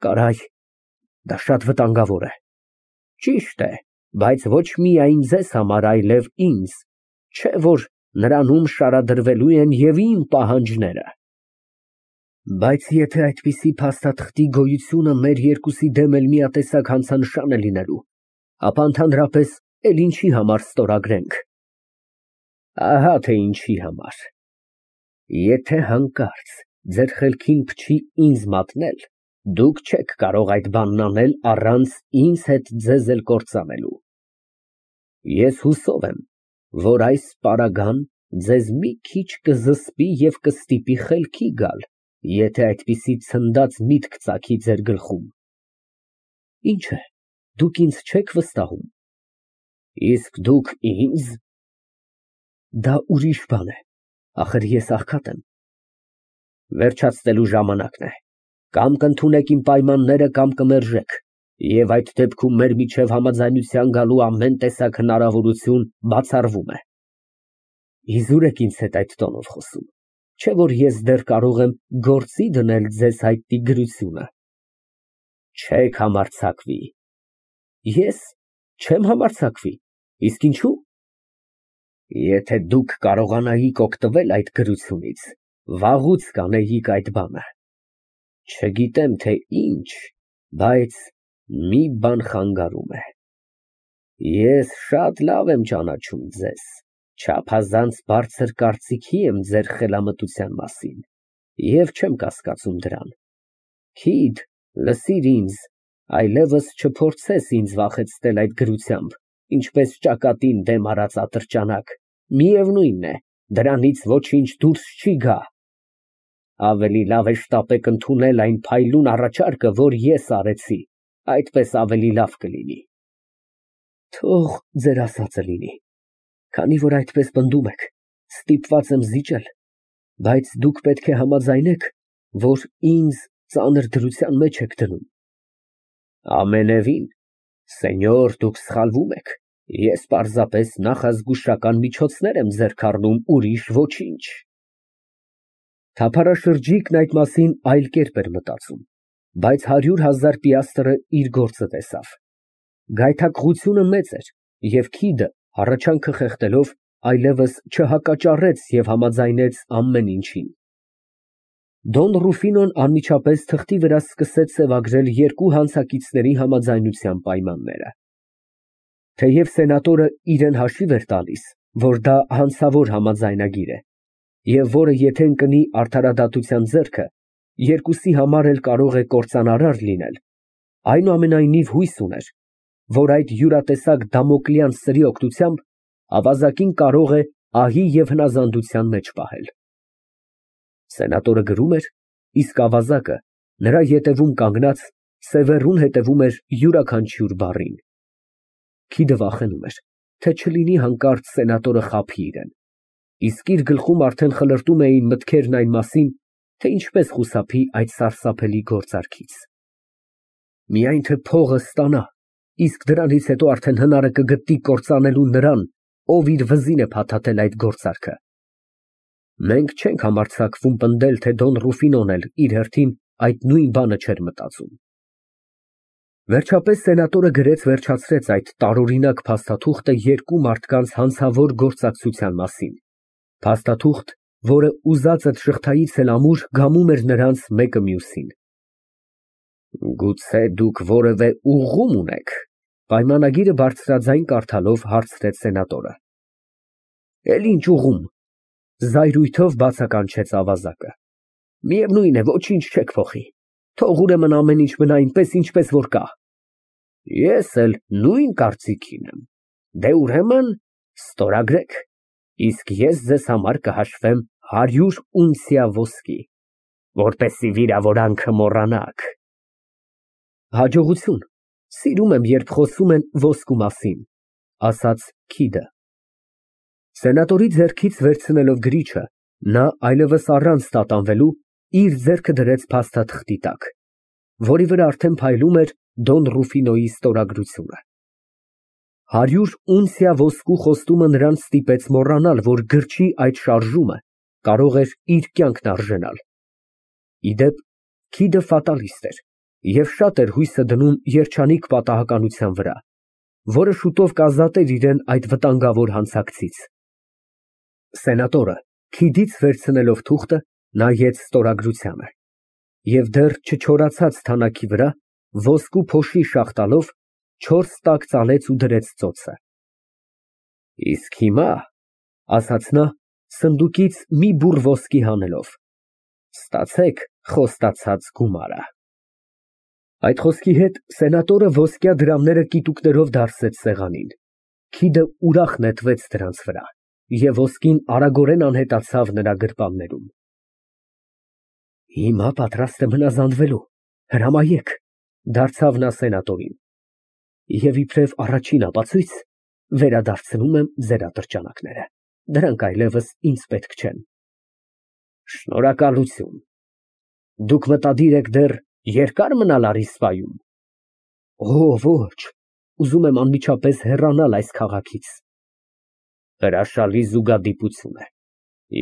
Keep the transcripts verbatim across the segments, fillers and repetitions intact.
Կարայ, դա շատ վտանգավոր է։ Ճիշտ է, բայց ոչ միայն ձեզ համար, այլև ինձ, չէ՞ որ նրանում շարադրվելու են և իմ պահանջները։ Բայց եթե այդպիսի փաստաթղթի գոյությունը մեր երկուսի դեմ էլ միատեսակ հանցանշան է լինելու, ապա ընդհանրապես էլ ինչի համար ստորագրենք։ Ահա թե ինչի համար։ Եթե հանկարծ ձեր խելքին փչի ինձ մատնել, դուք չեք կարող այդ բանն անել առանց ինձ հետ ձեզ էլ կործանելու։ Ես հուսով եմ, որ այս պարագան ձեզ մի քիչ կզսպի և կստիպի խելքի գալ, եթե այդպիսի ցնդած միտք ծագի ձեր գլխում։ Ինչ է, դուք ինձ չեք վստահում։ Իսկ դուք ինձ… Դա ուրիշ բան է, ախր ես աղքատ եմ։ Վերջացնելու ժամանակն է, կամ կընդունեք իմ պայմանները, կամ կմերժեք, և այդ դեպքում մեր միջև համաձայնության գալու ամեն տեսակ հնարավորություն բացառվում է։ Իզուր եք ինձ հետ այդ տոնով խոսում, չէ՞ որ ես դեռ կարող եմ գործի դնել ձեզ հայտնի գրությունը։ Չեք համարձակվի։ Ես չեմ համարձակվի, իսկ ինչո՞ւ։ Եթե դուք կարողանայիք օգտվել այդ գրությունից, վաղուց կանեիք այդ բանը։ Չգիտեմ, թե ինչ, բայց մի բան խանգարում է։ Ես շատ լավ եմ ճանաչում ձեզ, չափազանց բարձր կարծիքի եմ ձեր խելամտության մասին և չեմ կասկածում դրան։ Քիդ, լսիր ինձ, այլևս չփորձես ինձ վախեցնել այդ գրությամբ, ինչպես ճակատին դեմ արած ատրճանակ, միևնույն է, դրանից ոչինչ դուրս չի գա։ Ավելի լավ է շտապեք ընդունել այն փայլուն առաջարկը, որ ես արեցի, այդպես ավելի լավ կլինի։ Թող ձեր ասածը լինի, քանի որ այդպես պնդում եք, ստիպված եմ զիջել, բայց դուք պետք է համաձայնեք, որ ինձ ծանր դրության մեջ եք դնում։ Ամենևին, սենյոր, դուք սխալվում եք, ես պարզապես նախազգուշական միջոցներ եմ ձեռք առնում, ուրիշ ոչինչ։ Թափառաշրջիկն այդ մասին այլ կերպ էր մտածում, բայց հարյուր հազար պիաստրը իր գործը տեսավ։ Գայթակղությունը մեծ էր, և քիդը, հառաչանքը խեղդելով, այլևս չհակաճառեց և համաձայնեց ամեն ինչին։ Դոն Ռուֆինոն անմիջապես թղթի վրա սկսեց սևագրել երկու հանցակիցների համաձայնության պայմանները։ Թեև սենատորը իրան հաշիվ էր տալիս, որ դա հանցավոր համաձայնագիր է, և որը եթե ընկնի արդարադատության ձեռքը, երկուսի համար էլ կարող է կործանարար լինել, այնուամենայնիվ հույս ուներ, որ այդ յուրատեսակ դամոկլյան սրի օգնությամբ ավազակին կարող է ահի և հնազանդության մեջ պահել։ Սենատորը գրում էր, իսկ ավազակը, նրա ետևում կանգնած, սևեռուն հետևում էր յուրաքանչյուր բառին։ Քիդը վախենում էր, թե չլինի հանկարծ սենատորը խաբի իրան, իսկ իր գլխում արդեն խլրտում էին մտքերն այն մասին, թե ինչպես խուսափի այդ սարսափելի գործարքից։ Միայն թե փողը ստանա, իսկ դրանից հետո արդեն հնարը կգտնի կործանելու նրան, ով իր վզին է փաթաթել այդ գործարքը։ Մենք չենք համարձակվում պնդել, թե Դոն Ռուֆինոն էլ իր հերթին այդ նույն բանը չէր մտածում։ Վերջապես սենատորը գրեց վերջացրեց այդ տարօրինակ փաստաթուղթը երկու մարդկանց հանցավոր գործակցության մասին, փաստաթուղթ, որը ուզածդ շղթայից էլ ամուր գամում էր նրանց մեկը մյուսին։ Գուցե դուք որևէ ուղղում ունեք, պայմանագիրը բարձրաձայն կարդալով հարցրեց սենատորը։ Էլ ինչ ուղղում, զայրույթով բացականչեց ավազակը։ Միևնույն է, ոչինչ չեք փոխի, թող ուրեմն ամեն ինչ մնա այնպես, ինչպես որ կա։ Ես էլ նույն կարծիքին եմ։ Դե ուրեմն ստորագրեք, իսկ ես ձեզ համար կհաշվեմ հարյուր ունցիա ոսկի, որպեսզի վիրավորանքը մոռանաք։ Հաջողություն, սիրում եմ, երբ խոսում են ոսկու մասին, ասաց քիդը։ Սենատորի ձեռքից վերցնելով գրիչը, նա այլևս առանց տատանվելու իր ձեռքը դրեց փաստաթղթի տակ, որի վրա արդեն փայլում էր Դոն Ռուֆինոյի ստորագրությունը։ Հարյուր ունցիա ոսկու խոստումը նրան ստիպեց մոռանալ, որ գրչի այդ շարժումը կարող էր իր կյանքն արժենալ։ Ի դեպ, քիդը ֆատալիստ էր Եվ շատ էր հույսը դնում երջանիկ պատահականության վրա, որը շուտով կազատեր իրան այդ վտանգավոր հանցանքից։ Սենատորը քիդից վերցնելով թուղթը, նայեց ստորագրությանը և դեռ չչորացած թանաքի վրա ոսկու փոշի շաղ տալով չորս տակ ծալեց ու դրեց ծոցը։ Իսկ հիմա, ասաց նա, սնդուկից մի բուռ ոսկի հանելով, ստացեք խոստացած գումարը։ Այդ խոսքի հետ սենատորը ոսկյա դրամները կիտուկներով դարսեց սեղանին, քիդը ուրախ նետվեց դրանց վրա, և ոսկին արագորեն անհետացավ նրա գրպաններում։ Հիմա պատրաստ եմ հնազանդվելու, հրամայեք, դարձավ նա սենատորին, և իբրև առաջին ապացույց վերադարձնում եմ ձեր ատրճանակները, դրանք այլևս ինձ պետք չեն։ Շնորհակալություն, դուք մտադիր եք դեռ երկա՞ր մնալ Առիսպայում։ Օ, ոչ, ուզում եմ անմիջապես հեռանալ այս քաղաքից։ Հրաշալի զուգադիպություն է,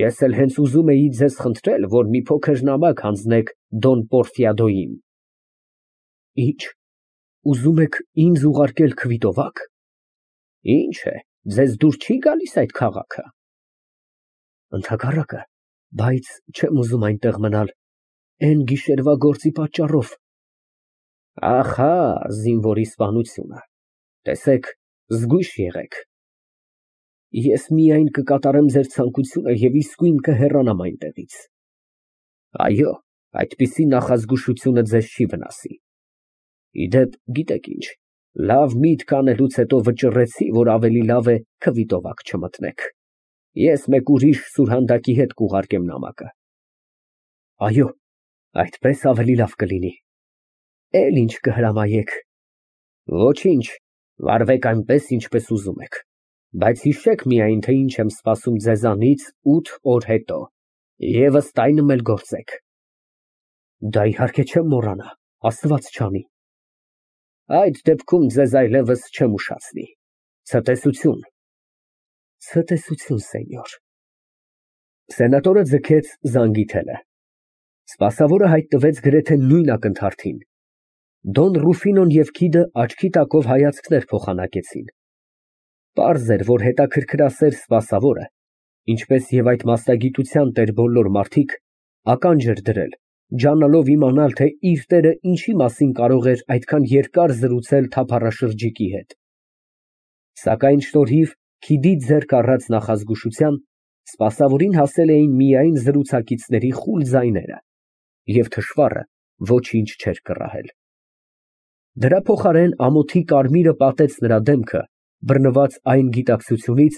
ես էլ հենց ուզում էի ձեզ խնդրել, որ մի փոքր նամակ հանձնեք Դոն Պորֆիադոյին։ Ի՞նչ, ուզում եք ինձ ուղարկել քվիտովա՞կ։ Ինչ է, ձեզ դուր չի գալիս այդ քաղաքը։ Ընդհակառակը, բայց չեմ ուզում այնտեղ մնալ էն գիշերվա գործի պատճառով։ Ահա, զինվորի սպանությունը, տեսեք, զգույշ եղեք։ Ես միայն կկատարեմ ձեր ցանկությունը և իսկույն կհեռանամ այնտեղից։ Այո, այդպիսի նախազգուշությունը ձեզ չի վնասի։ Ի դեպ, գիտեք ինչ, լավ միտք անելուց հետո վճռեցի, որ ավելի լավ է քվիտովակ չմտնեք։ Ես մեկ ուրիշ սուրհանդակի հետ կուղարկեմ նամակը։ Այո, այդպես ավելի լավ կլինի։ Էլ ինչ կհրամայեք։ Ոչինչ, վարվեք այնպես, ինչպես ուզում եք, բայց հիշեք միայն, թե ինչ եմ սպասում ձեզանից ութ օր հետո, և ըստ այնմ էլ գործեք։ Դա իհարկե չեմ մոռանա, Աստված չանի։ Այդ դեպքում ձեզ այլևս չեմ ուշացնի։ Ցտեսություն։ Ցտեսություն, սենյոր։ Սենատորը ձգեց զանգի թելը։ Սպասավորը հայտնվեց գրեթե նույն ակնթարթին։ Դոն Ռուֆինոն և քիդը աչքի տակով հայացքներ փոխանակեցին։ Պարզ էր, որ հետաքրքրասեր սպասավորը, ինչպես և այդ մասնագիտության տեր բոլոր մարդիկ, ականջ էր դրել, ջանալով իմանալ, թե իր տերը ինչի մասին կարող էր այդքան երկար զրուցել թափառաշրջիկի հետ։ Սակայն շնորհիվ քիդի ձեռք առած նախազգուշության, սպասավորին հասել էին միայն զրուցակիցների խուլ ձայները, և թշվառը ոչինչ չէր կռահել։ Դրա փոխարեն ամոթի կարմիրը պատեց նրա դեմքը, բռնված այն գիտակցությունից,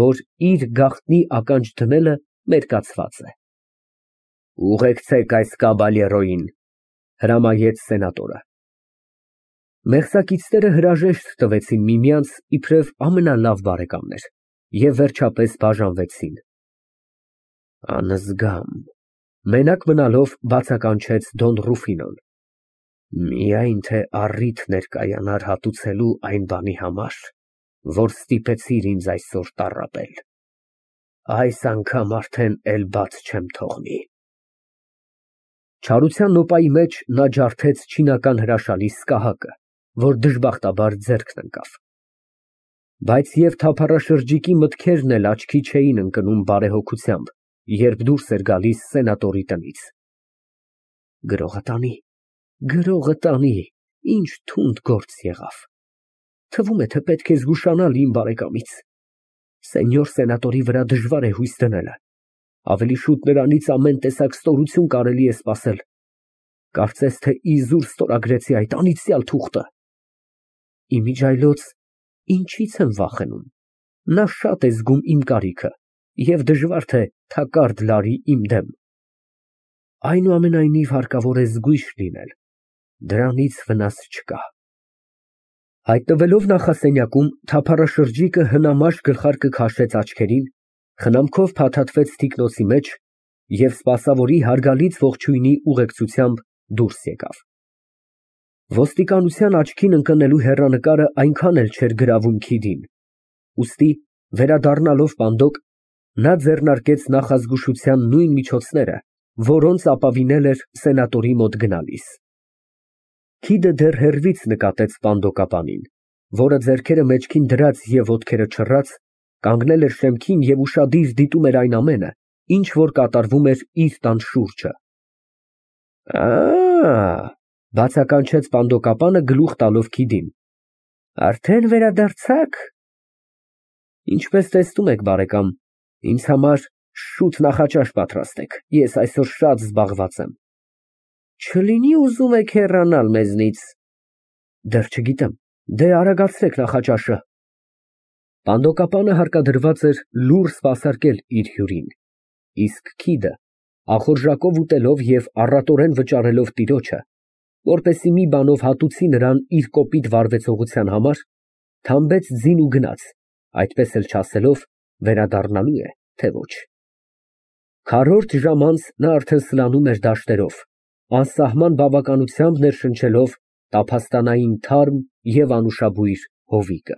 որ իր գաղտնի ականջ դնելը մերկացված է։ Ուղեկցեք այս կաբալերոյին, հրամայեց սենատորը։ Մեղսակիցները հրաժեշտ տվեցին միմյանց իբրև ամենալավ բարեկամներ և վերջապես բաժանվեցին։ Անզգամ, մենակ մնալով բացականչեց Դոն Ռուֆինոն։ Միայն թե առիթ ներկայանար հատուցելու այն բանի համար, որ ստիպեցիր ինձ այսօր տառապել, այս անգամ արդեն էլ բաց չեմ թողնի։ Չարության նոպայի մեջ նա ջարդեց չինական հրաշալի սկահակը, որ դժբախտաբար ձեռքն ընկավ։ Բայց և թափառաշրջիկի մտքերն էլ աչքի չէին ընկնում բարեհոգությամբ, երբ դուրս էր գալիս սենատորի տնից։ Գրողը տանի, գրողը տանի, ինչ թունդ գործ եղավ։ Թվում է, թե պետք է զգուշանալ իմ բարեկամից։ Սենյոր սենատորի վրա դժվար է հույս դնելը, ավելի շուտ նրանից ամեն տեսակ ստորություն կարելի է սպասել։ Կարծես թե իզուր ստորագրեցի այդ անիծյալ թուղթը։ Իմիջիայլոց ինչի՞ց եմ վախենում։ Նա շատ է զգում իմ կարիքը և դժվար թե թակարդ լարի իմ դեմ։ Այնուամենայնիվ հարկավոր է զգույշ լինել, դրանից վնաս չկա։ Հայտնվելով նախասենյակում, թափառաշրջիկը հնամաշ գլխարկը քաշեց աչքերին, խնամքով փաթաթվեց թիկնոցի մեջ և սպասավորի հարգալից ողջույնի ուղեկցությամբ դուրս եկավ։ Ոստիկանության աչքին ընկնելու հեռանկարը այնքան էլ չէր գրավում քիդին, ուստի, վերադառնալով պանդոկ, նա ձեռնարկեց նախազգուշության նույն միջոցները, որոնց ապավինել էր սենատորի մոտ գնալիս։ Քիդը դեռ հեռվից նկատեց սպանդոկապանին, որը ձեռքերը մեջքին դրած և ոտքերը չռած, կանգնել էր շեմքին և ուշադիր դիտում էր այն ամենը, ինչ որ կատարվում էր իր տան շուրջը։ Ա, բացականչեց սպանդոկապանը գլուխ տալով քիդին, արդեն վերադարձա՞ք։ Ինչպես տեսնում եք, բարեկամ, ինձ համար շուտ նախաճաշ պատրաստեք, ես այսօր շատ զբաղված եմ։ Չլինի ուզում եք հեռանալ մեզնից։ Դեռ չգիտեմ, դե արագացրեք նախաճաշը։ Սպանդոկապանը հարկադրված էր լուռ սպասարկել իր հյուրին, իսկ քիդը, ախորժակով ուտելով և առատորեն վճարելով տիրոջը, որպեսզի մի բանով հատուցի նրան իր կոպիտ վարվեցողության համար, թամբեց ձին ու գնաց, այդպես էլ չասելով վերադառնալո՞ւ է, թե ոչ։ Քառորդ ժամ անց նա արդեն սլանում էր դաշտերով, անսահման բավականությամբ ներշնչելով տափաստանային թարմ և անուշաբույր հովիկը։